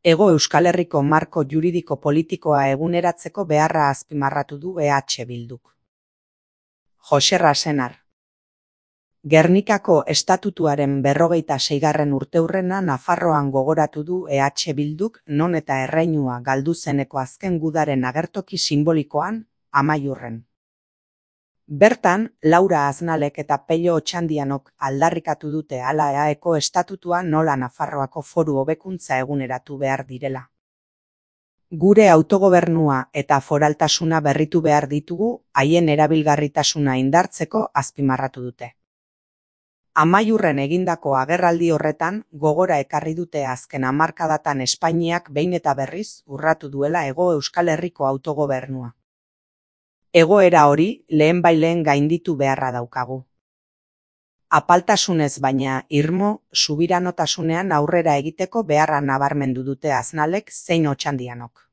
Hego Euskal Herriko marko juridiko politikoa eguneratzeko beharra azpimarratu du EH Bilduk. Jose Rasenar. Gernikako estatutuaren 46. urteurrena Nafarroan gogoratu du EH Bilduk, non eta erreinua galdu zeneko azken gudaren agertoki sinbolikoan, Amaiurren. Bertan, Laura Aznalek eta Pello Otxandianok aldarrikatu dute hala EAeko estatutua nola Nafarroako foru hobekuntza eguneratu behar direla. Gure autogobernua eta foraltasuna berritu behar ditugu, haien erabilgarritasuna indartzeko azpimarratu dute. Amaiurren egindako agerraldi horretan, gogora ekarri dute azken hamarkadatan Espainiak behin eta berriz urratu duela Hego Euskal Herriko autogobernua. Egoera hori lehenbaileen gainditu beharra daukagu. Apaltasunez baina irmo, subiranotasunean aurrera egiteko beharra nabarmendu dute Aznalek zein Otxandianok.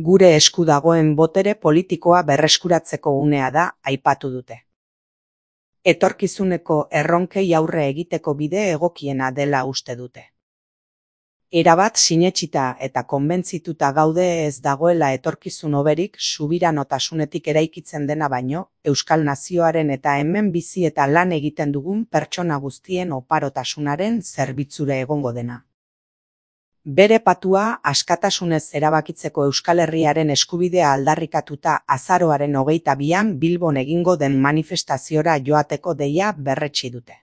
Gure esku dagoen botere politikoa berreskuratzeko unea da, aipatu dute. Etorkizuneko erronkei aurre egiteko bide egokiena dela uste dute. Erabat sinetsita eta konbentzituta gaude ez dagoela etorkizun hoberik subiranotasunetik eraikitzen dena baino, Euskal Nazioaren eta hemen bizi eta lan egiten dugun pertsona guztien oparotasunaren zerbitzure egongo dena. Bere patua askatasunez erabakitzeko Euskal Herriaren eskubidea aldarrikatuta azaroaren 22an Bilbon egingo den manifestaziora joateko deia berretsi dute.